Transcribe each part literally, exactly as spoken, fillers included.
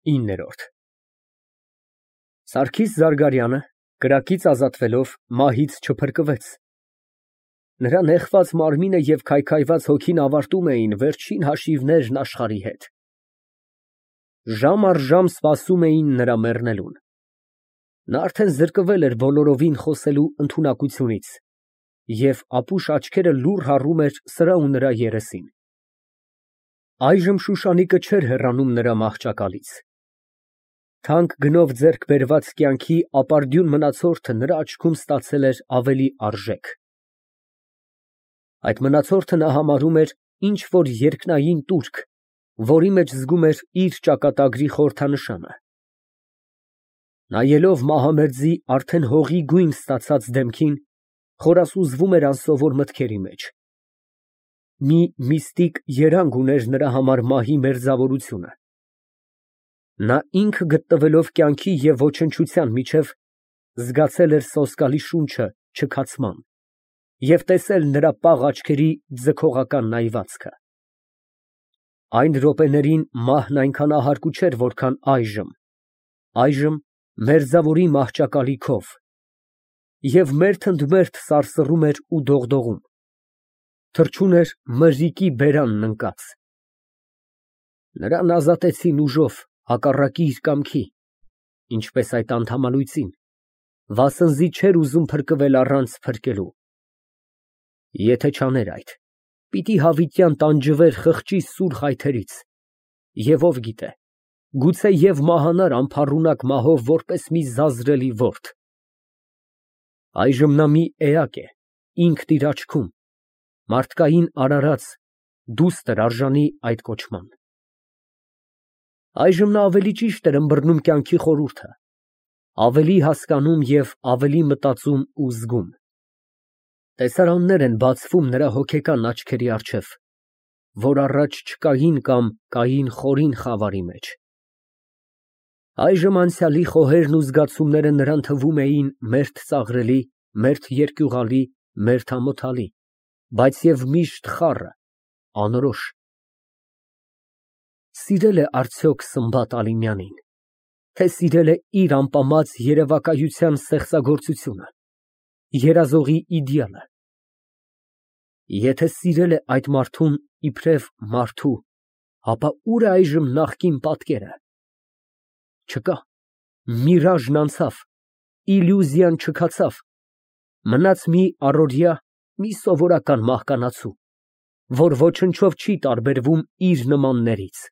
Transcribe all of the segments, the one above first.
ԻՆՆԵՐՈՐԴ Սարգիս Զարգարյանը, կրակից ազատվելով, մահից չփրկվեց. նրա նեխված մարմինը և քայքայված հոգին ավարտում էին վերջին հաշիվներն աշխարհի հետ, ժամ առ ժամ սպասում էին նրա մեռնելուն, նա արդեն զրկվել էր բոլորովին խոսելու ընդունակությունից և ապուշ աչքերը լուռ հառում էր սրա ու նրա երեսին։ Այժմ Շուշանիկը չէր հեռանում նրա մահճակալից, թանկ գնով ձեռք բերված կյանքի ապարդյուն մնացորդը նրա աչքում ստացել էր ավելի արժեք։ Այդ մնացորդը նա համարում էր ինչ֊որ երկնային տուրք, որի մեջ զգում էր իր ճակատագրի խորհրդանշանը։ Նայելով Մահամեդի արդեն հողի գույն ստացած դեմքին, խորասուզվում էր անսովոր մտքերի մեջ։ Մի միստիկ երանգ ուներ նրա համար մահի մերձավորությունը։ Նա ինքը գտնվելով կյանքի և ոչնչության միջև, զգացել էր սոսկալի շունչը չքացման և տեսել նրա պաղ աչքերի ձգողական նայվածքը։ Այն րոպեներին մահն այնքան ահարկու չէր, որքան այժմ, այժմ մերձավորի մահճակալի քով, և մերթ ընդ մերթ սարսռում էր ու դողդողում, թռչուն էր մրրիկի բերանն ընկած։ Նրան ազատեցին ուժով, հակառակի իր կամքի, ինչպես այդ անդամալույծին, վասնզի չէր ուզում փրկվել առանց փրկելու։ Եթե չաներ այդ, պիտի հավիտյան տանջվեր խղճի սուր խայթերից, և ով գիտե, գուցե և մահանար անփառունակ մահով որպես մի զազրելի ворդ։ Այժմ նա մի էակ է, ինքն իր աչքում, մարդկային արարած, դուստր արժանի այդ կոչման։ Այժմ նա ավելի ճիշտ էր ըմբռնում կյանքի խորհուրդը, ավելի հասկանում և ավելի մտածում ու զգում։ Տեսարաններ են բացվում նրա հոգեկան աչքերի առջև, որ առաջ չկային կամ կային խորին խավարի մեջ։ Այժմ անցյալի խոհերն ու զգացումները նրան թվում էին մերթ ծաղրելի, մերթ երկյուղալի, մերթ ամոթալի, բայց և միշտ խառը, անորոշ։ Սիրել է արդյոք Սմբատ Ալիմյանին, թե սիրել է իր ամպամած երևակայության ստեղծագործությունը, երազողի իդեալը։ Եթե սիրել է այդ մարդուն իբրև մարդու, ապա ո՞ւր է այժմ նախկին պատկերը։ Չկա, միրաժն անցավ, իլյուզիան չքացավ, մնաց մի առօրյա, մի սովորական մահկանացու, որ ոչնչով չի տարբերվում իր նմաններից։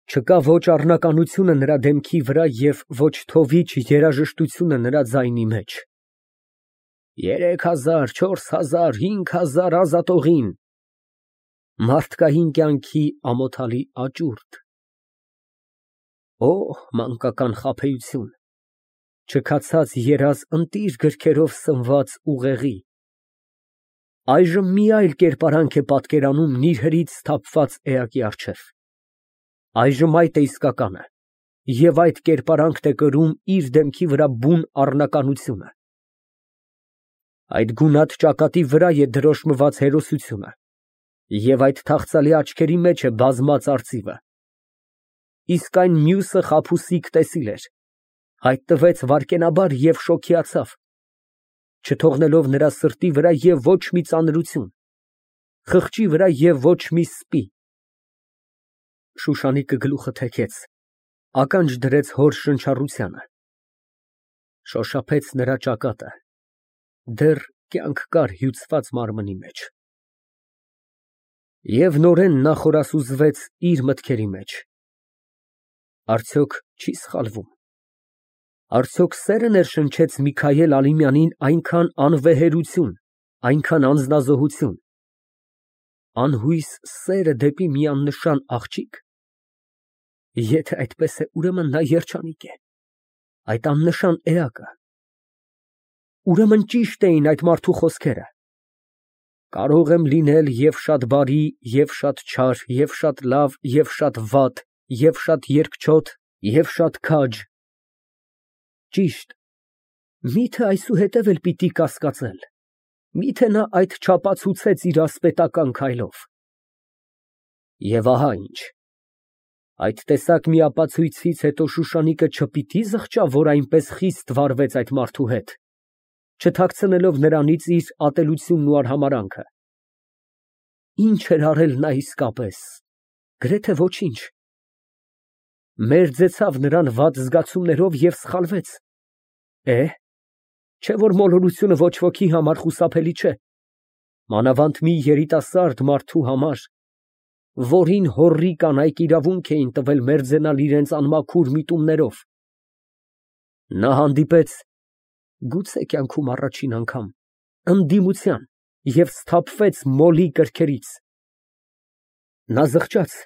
Չկա ոչ առնականությունը նրա դեմքի վրա և ոչ թովիչ երաժշտությունը նրա ձայնի մեջ։ Երեք հազար, չորս հազար, հինգ հազար ազատողին… Մարդկային կյանքի ամոթալի աճուրդ… Օհ, մանկական խաբեություն, չքացած երազ ընտիր գրքերով սնված ուղեղի… Այժմ մի այլ կերպարանք է պատկերանում նիրհերից սթափված էակի առջև։ Այժմ այդ է իսկականը, և այդ կերպարանքն է կրում իր դեմքի վրա բուն առնականությունը։ Այդ գունատ ճակատի վրա է դրոշմված հերոսությունը, և այդ թախծալի աչքերի մեջ է բազմած արծիվը։ Իսկ այն մյուսը խաբուսիկ տեսիլ էր, հայտնվեց վայրկենաբար և շոգեացավ, չթողնելով նրա սրտի վրա և ոչ մի ծանրություն, խղճի վրա և ոչ մի սպի։ Շուշանիկը գլուխը թեքեց, ականջ դրեց հոր շնչառությանը, շոշափեց նրա ճակատը, դեռ կյանք կար հյուծված մարմնի մեջ։ Եվ նորեն նա խորասուզվեց իր մտքերի մեջ. արդյոք չի սխալվում, արդյոք սե՞րը ներշնչեց Միքայել Ալիմյանին այնքան անվեհերություն, այնքան անձնազոհություն, անհույս սերը դեպի մի աննշան աղջիկ։ Եթե այդպես է, ուրեմն նա երջանիկ է, այդ աննշան էակը։ Ուրեմն ճիշտ էին այդ մարդու խոսքերը. կարող եմ լինել և շատ բարի, և շատ չար, և շատ լավ, և շատ վատ, և շատ երկչոտ, և շատ քաջ… Ճիշտ, մի՞թե այսուհետև էլ պիտի կասկածել, մի՞թե նա այդ չապացուցեց իր ասպետական քայլով։ Եվ ահա ինչ։ Այդ տեսակ մի ապացույցից հետո Շուշանիկը չպիտի զղջա, որ այնպես խիստ վարվեց այդ մարդու հետ, չթաքցնելով նրանից իր ատելությունն ու արհամարհանքը։ Ինչ էր արել նա իսկապես, գրեթե ոչինչ, մերձեցավ նրան վատ զգացումներով և սխալվեց։ Է, չէ որ մոլորությունը ոչ ոքի համար խուսափելի չէ, մանավանդ մի երիտասարդ մարդու համար, որին հոռի կանայք իրավունք էին տվել մերձենալ իրենց անմաքուր միտումներով։ Նա հանդիպեց, գուցե կյանքում առաջին անգամ, ընդդիմության և սթափվեց մոլի կրքերից։ Նա զղջաց,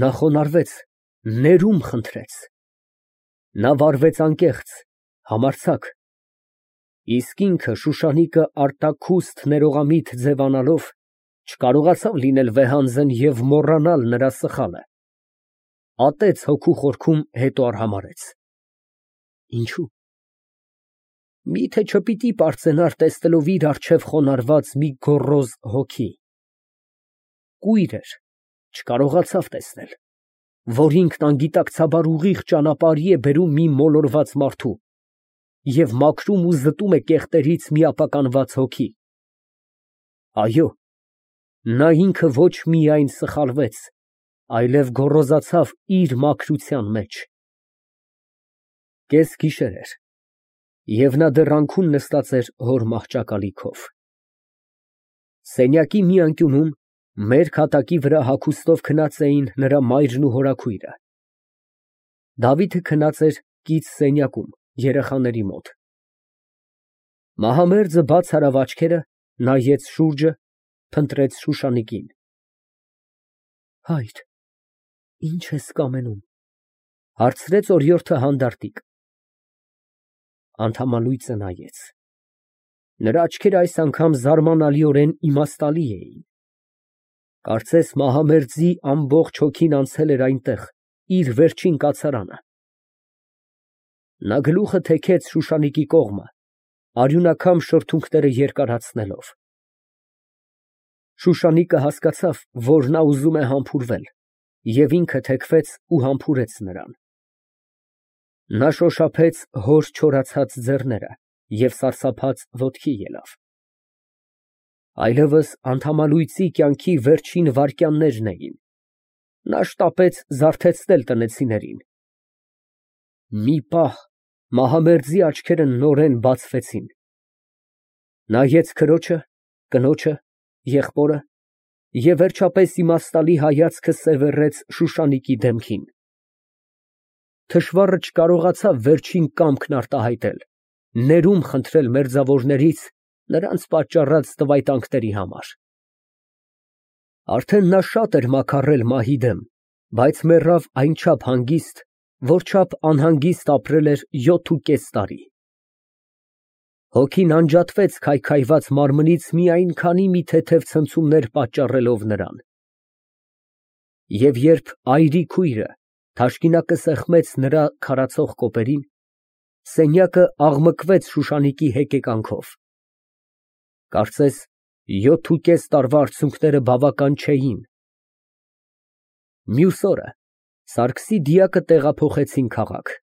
նա խոնարհվեց, ներում խնդրեց։ Նա վարվեց անկեղծ, համարձակ, իսկ ինքը Շուշանիկը արտաքուստ ներողամիտ ձևանալով չկարողացավ լինել վեհանձն և մոռանալ նրա սխալը, ատեց հոգու խորքում, հետո արհամարհեց։ Ինչո՞ւ։ Միթե չպիտի պարծենար, տեսնելով իր առջև խոնարհված մի գոռոզ հոգի։ Կույր էր, չկարողացավ տեսնել, որ ինքն անգիտակցաբար ուղիղ ճանապարհի է բերում մի մոլորված մարդու և մաքրում ու զտում է կեղտերից մի ապականված հոգի։ Այո, նա ինքը ոչ միայն սխալվեց, այլև գոռոզացավ իր մաքրության մեջ։ Կես գիշեր էր, և նա դեռ անքուն նստած էր հոր մահճակալիքով։ Սենյակի մի անկյունում, մերկ հատակի վրա հագուստով քնած էին նրա մայրն ու հորաքույրը։ Դավիթը քնած էր կից սենյակում, երեխաների մոտ։ Մահամերձը բաց արավ աչքերը, նայեց շուրջը, փնտրեց Շուշանիկին։ Հայր, ի՞նչ ես կամենում, հարցրեց օրիորդը հանդարտիկ։ Անդամալույծը նայեց։ Նրա աչքերը այս անգամ զարմանալիորեն իմաստալի էին։ Կարծես Մահամերձի ամբողջ հոգին անցել էր այնտեղ, իր վերջին կացարանը։ Նա գլուխը թեքեց Շուշանիկի կողմը, արյունաքամ շրթունքները երկարացնելով։ Շուշանիկը հասկացավ, որ նա ուզում է համբուրվել, և ինքը թեքվեց ու համբուրեց նրան։ Նա շոշափեց հոր չորացած ձեռները և սարսափած ոտքի ելավ։ Այլևս անդամալույծի կյանքի վերջին վայրկյաններն էին։ Նա շտապեց զարթեցնել տնեցիներին։ Մի պահ Մահամերձի աչքերը նորեն բացվեցին։ Նայեց քրոջը, կնոջը, եղբորը և վերջապես իմաստալի հայացքը սևեռեց Շուշանիկի դեմքին։ Թշվառը չկարողացավ վերջին կամքն արտահայտել, ներում խնդրել մերձավորներից նրանց պատճառած տվայտանքների համար։ Արդեն նա շատ էր մաքարrել մահի դեմ, բայց մեռավ այնչափ հանգիստ, որչափ անհանգիստ ապրել էր յոթ ու կես տարի։ Հոգին անջատվեց քայքայված մարմնից մի այնքանի մի թեթև ցնցումներ պատճառելով նրան։ Եվ երբ այրի քույրը թաշկինակը սեղմեց նրա քարացող կոպերին, սենյակը աղմկվեց Շուշանիկի հեկեկանքով։ Կարծես յոթ ու կես տարվա արցունքները բավական չէին։ Մյուս օրը Սարգսի դիակը տեղափոխեցին քաղաք։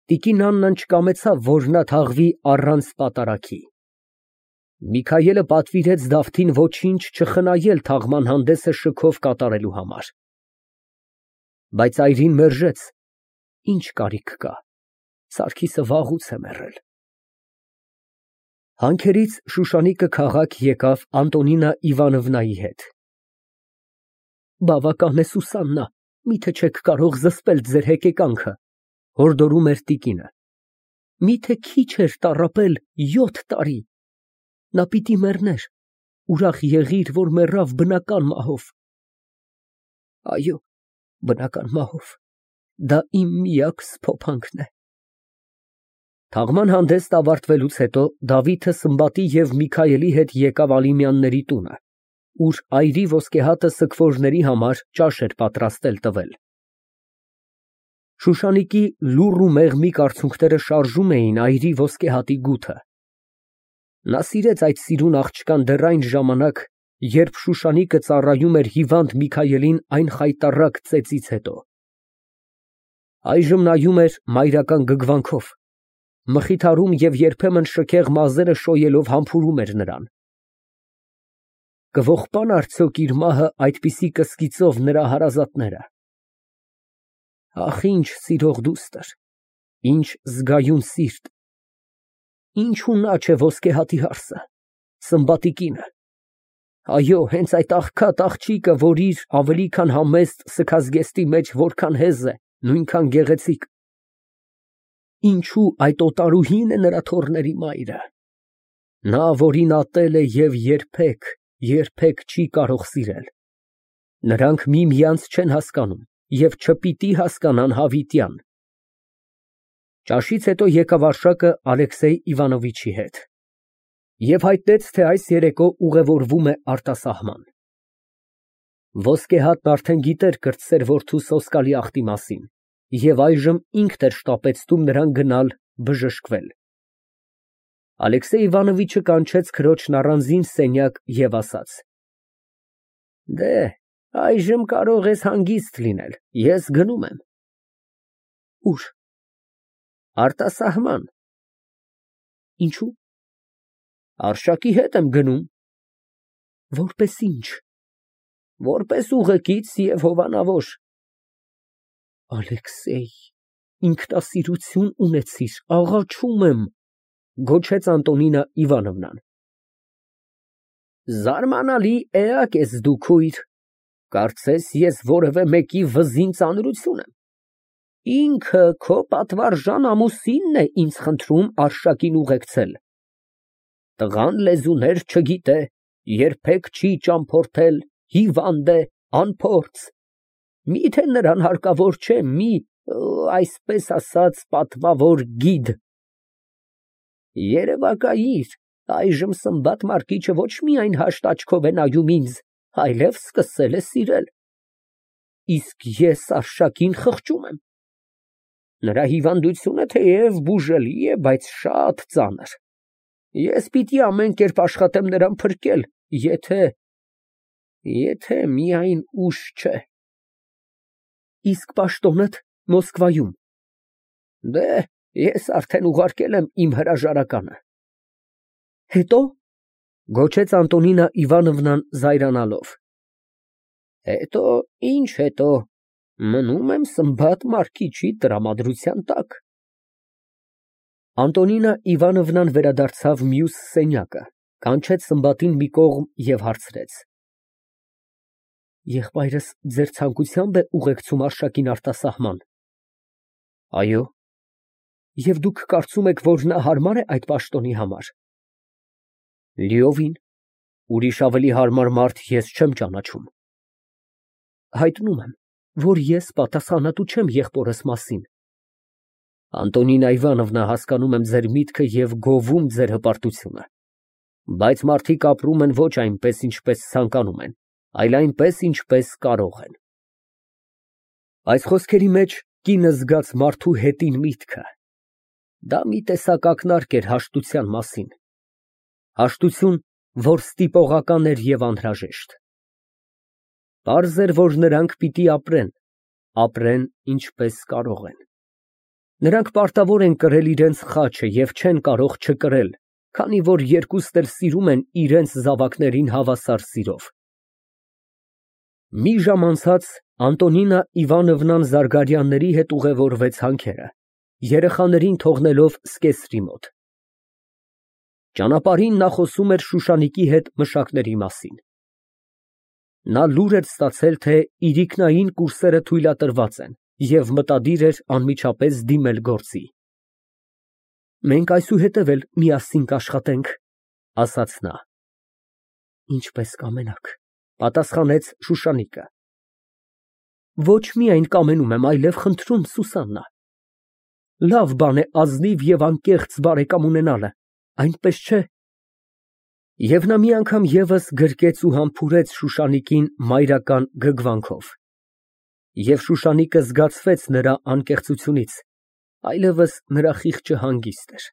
Տիկին Աննան չկամեցավ, որ նա թաղվի առանց պատարագի։ Միքայելը պատվիրեց Դավթին ոչինչ չխնայել թաղման հանդեսը շքով կատարելու համար։ Բայց այրին մերժեց. ինչ կարիք կա, Սարգիսը վաղուց է մեռել։ Հանքերից Շուշանիկը քաղաք եկավ Անտոնինա Իվանովնայի հետ։ Բավական է, Սուսաննա, միթե չեք կարող զսպել ձեր հեկեկանքը, հորդորում էր տիկինը։ Միթե քիչ էր տառապել յոթ տարի։ Նա պիտի մեռներ, ուրախ եղիր, որ մեռավ բնական մահով։ Այո, բնական մահով, դա իմ միակ սփոփանքն է։ Թաղման հանդեսն ավարտվելուց հետո Դավիթը Սմբատի և Միքայելի հետ եկավ Ալիմյանների տունը, ուր այրի ոսկեհատը սգվորների համար ճաշ էր պատրաստել տվել։ Շուշանիկի լուռ ու մեղմիկ արցունքները շարժում էին այրի ոսկեհատի գութը։ Նա սիրեց այդ սիրուն աղջկան դեռ այն ժամանակ, երբ Շուշանիկը ծառայում էր հիվանդ Միքայելին այն խայտառակ ծեծից հետո։ Այժմ նայում էր մայրական գգվանքով, մխիթարում և երբեմն շքեղ մազերը շոյելով համբուրում էր նրան։ Կողպան արդյոք իր մահը այդպիսի կսկիծով նրա հարազատները։ Ախ, ինչ սիրող դուստր, ինչ զգայուն սիրտ, ինչու նա չէ ոսկեհատի հարսը, Սմբատի կինը, այո, հենց այդ աղքատ աղջիկը, որ իր ավելի քան համեստ սգազգեստի մեջ որքան հեզ է, նույնքան գեղեցիկ, ինչու այդ օտարուհին է նրա թոռների մայրը, նա, որին ատել է և երբեք, երբեք չի կարող սիրել, նրանք միմյանց չեն հասկանում և չպիտի հասկանան հավիտյան։ Ճաշից հետո եկավ Արշակը Ալեքսեյ Իվանովիչի հետ և հայտնեց, թե այս երեկո ուղևորվում է արտասահման։ Ոսկեհատն արդեն գիտեր կրտսեր որդու սոսկալի ախտի մասին և այժմ ինքն էր շտապեցնում նրան գնալ բժշկվել։ Ալեքսեյ Իվանովիչը կանչեց քրոջն առանձին սենյակ և ասաց. Դե, այժմ կարող ես հանգիստ լինել, ես գնում եմ։ Ո՞ւր։ Արտասահման։ Ինչո՞ւ։ Արշակի հետ եմ գնում։ Որպես ինչ։ Որպես ուղեկից և հովանավոր։ Ալեքսեյ, ինքնասիրություն ունեցիր, աղաչում եմ, գոչեց Անտոնինա Իվանովնան։ Զարմանալի էակ ես դու, քույր, կարծես ես որևէ մեկի վզին ծանրություն եմ։ Ինքը քո պատվարժան ամուսինն է ինձ խնդրում Արշակին ուղեկցել։ Տղան լեզուներ չգիտե, երբեք չի ճամփորդել, հիվանդ է, անփորձ, միթե նրան հարկավոր չէ մի, այսպես ասած, պատվավոր գիդ։ Երևակայիր, այժմ Սմբատ Մարկիչը ոչ միայն հաշտ աչքով է նայում ինձ, այլև սկսել է սիրել։ Իսկ ես Արշակին խղճում եմ։ Նրա հիվանդությունը թեև բուժելի է, բայց շատ ծանր։ Ես պիտի ամեն կերպ աշխատեմ նրան փրկել, եթե… եթե միայն ուշ չէ։ Իսկ պաշտոնդ Մոսկվայում։ Դե, ես արդեն ուղարկել եմ իմ հրաժարականը։ Հետո… գոչեց Անտոնինա Իվանովնան զայրանալով։ Հետո, ինչ հետո, մնում եմ Սմբատ Մարկիչի տրամադրության տակ։ Անտոնինա Իվանովնան վերադարձավ մյուս սենյակը, կանչեց Սմբատին մի կողմ և հարցրեց. Եղբայրս ձեր ցանկությամբ է ուղեկցում Արշակին արտասահման։ Այո։ Եվ դուք կարծում եք, որ նա հարմար է այդ պաշտոնի համար։ Լիովին, ուրիշ ավելի հարմար մարդ ես չեմ ճանաչում։ Հայտնում եմ, որ ես պատասխանատու չեմ եղբորս մասին։ Անտոնինա Իվանովնա, հասկանում եմ ձեր միտքը և գովում ձեր հպարտությունը, բայց մարդիկ ապրում են ոչ այնպես, ինչպես ցանկանում են, այլ այնպես, ինչպես կարող են։ Այս խոսքերի մեջ կինը զգաց մարդու հետին միտքը։ Դա մի տեսակ ակնարկ էր հաշտության մասին։ Հաշտություն, որ ստիպողական էր և անհրաժեշտ։ Պարզ էր, որ նրանք պիտի ապրեն, ապրեն ինչպես կարող են։ Նրանք պարտավոր են կրել իրենց խաչը և չեն կարող չկրել, քանի որ երկուստ էլ սիրում են իրենց զավակներին հավասար սիրով։ Մի ժամ անցած Անտոնինա Իվանովնան Զարգարյանների հետ ուղևորվեց հանքերը, երեխաներին թողնելով Սկեսրի մոտ։ Ճանապարհին նա խոսում էր Շուշանիկի հետ մշակների մասին։ Նա լուր էր ստացել, թե իրիկնային կուրսերը թույլատրված են և մտադիր էր անմիջապես դիմել գործի։ Մենք այսուհետև էլ միասին կաշխատենք, ասաց նա։ Ինչպես կամենաք, պատասխանեց Շուշանիկը։ Ոչ միայն կամենում եմ, այլև խնդրում, Սուսաննա։ Լավ բան է ազնիվ և անկեղծ բարեկամ ունենալը, այնպես չէ։ Եվ նա մի անգամ ևս գրկեց ու համբուրեց Շուշանիկին մայրական գգվանքով։ Եվ Շուշանիկը զգացվեց նրա անկեղծությունից, այլևս նրա խիղճը հանգիստ էր։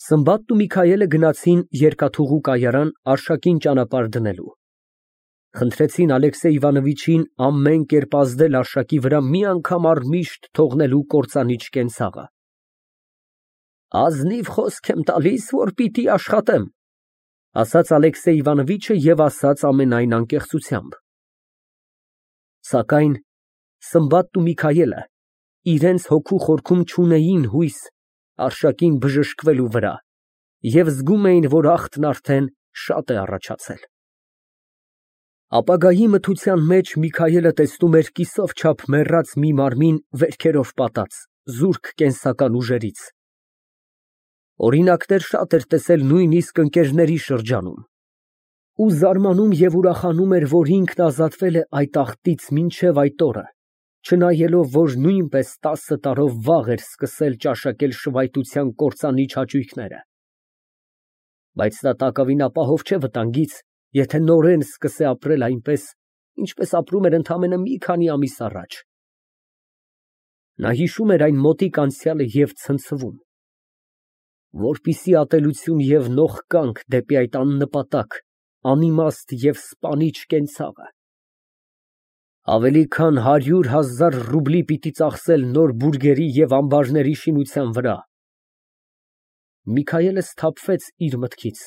Սմբատն ու Միքայելը գնացին երկաթուղու կայարան Արշակին ճանապարհ դնելու։ Խնդրեցին Ալեքսեյ Իվանովիչին ամեն կերպ ազդել արշակի վրա մի անգամ առմիշտ թողնելու կործանիչ կենցաղը։ Ազնիվ խոսք եմ տալիս, որ պիտի աշխատեմ, ասաց Ալեքսեյ Իվանովիչը և ասաց ամենայն անկեղծությամբ։ Սակայն Սմբատն ու Միքայելը իրենց հոգու խորքում չունեին հույս արշակին բժշկվելու վրա և զգում էին, որ ախտն արդեն շատ է առաջացել։ Ապագայի մթության մեջ Միքայելը տեսնում էր կիսով չափ մեռած մի մարմին վերքերով պատած, զուրկ կենսական ուժերից։ Օրինակներ շատ էր տեսել նույնիսկ ընկերների շրջանում, ու զարմանում և ուրախանում էր, որ ինքն ազատվել է այդ ախտից մինչև այդ օրը, չնայելով, որ նույնպես տասը տարով վաղ էր սկսել ճաշակել շվայտության կործանիչ հաճույքները։ Բայց նա տակավին ապահով չէ վտանգից, եթե նորեն սկսե ապրել այնպես, ինչպես ապրում էր ընդամենը մի քանի ամիս առաջ։ Նա հիշում էր այն մոտիկ անցյալը և ցնցվում, որպիսի ատելություն և նող կանք դեպի այդ աննպատակ, անիմաստ և սպանիչ կենցաղը։ Ավելի քան հարյուր հազար ռուբլի պիտի ծախսել նոր բուրգերի և ամբարների շինության վրա։ Միքայելը սթափվեց իր մտքից,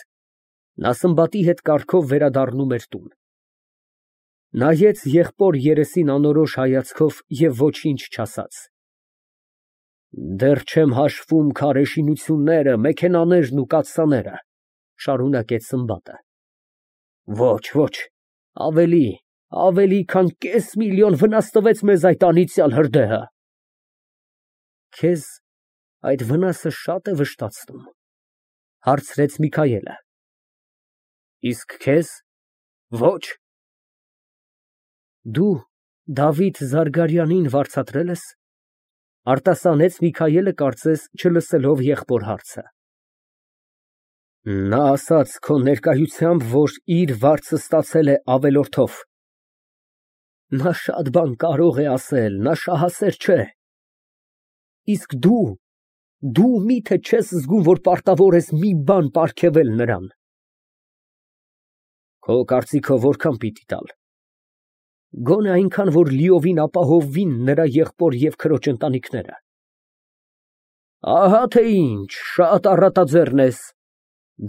նա Սմբատի հետ կառքով վերադառնում էր տուն։ Նայեց եղբոր երեսին անորոշ հայացքով և ոչինչ չասաց։ Դեռ չեմ հաշվում քարե շինությունները, մեքենաներն ու կաթսաները, շարունակեց Սմբատը։ Ոչ, ոչ, ավելի, ավելի քան կես միլիոն վնաս տվեց մեզ այդ անիծյալ հրդեհը։ Քեզ այդ վնասը շատ է վշտացնում, հարցրեց Միքայելը։ Իսկ քեզ։ Ոչ։ Դու Դավիթ Զարգարյանին վարձատրել ես, արտասանեց Միքայելը, կարծես չլսելով եղբոր հարցը։ Նա ասաց քո ներկայությամբ, որ իր վարձը ստացել է ավելորդով։ Նա շատ բան կարող է ասել, նա շահասեր չէ։ Իսկ դու, դու մի՞թե չես զգում, որ պարտավոր ես մի բան պարգևել նրան։ Քո կարծիքով որքան պիտի տալ։ Գոնե այնքան, որ լիովին ապահովվին նրա եղբոր և քրոջ ընտանիքները։ Ահա թե ինչ, շատ առատաձեռն ես,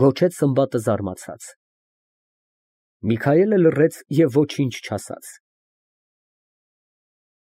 գոչեց Սմբատը զարմացած։ Միքայելը լռեց և ոչինչ չասաց։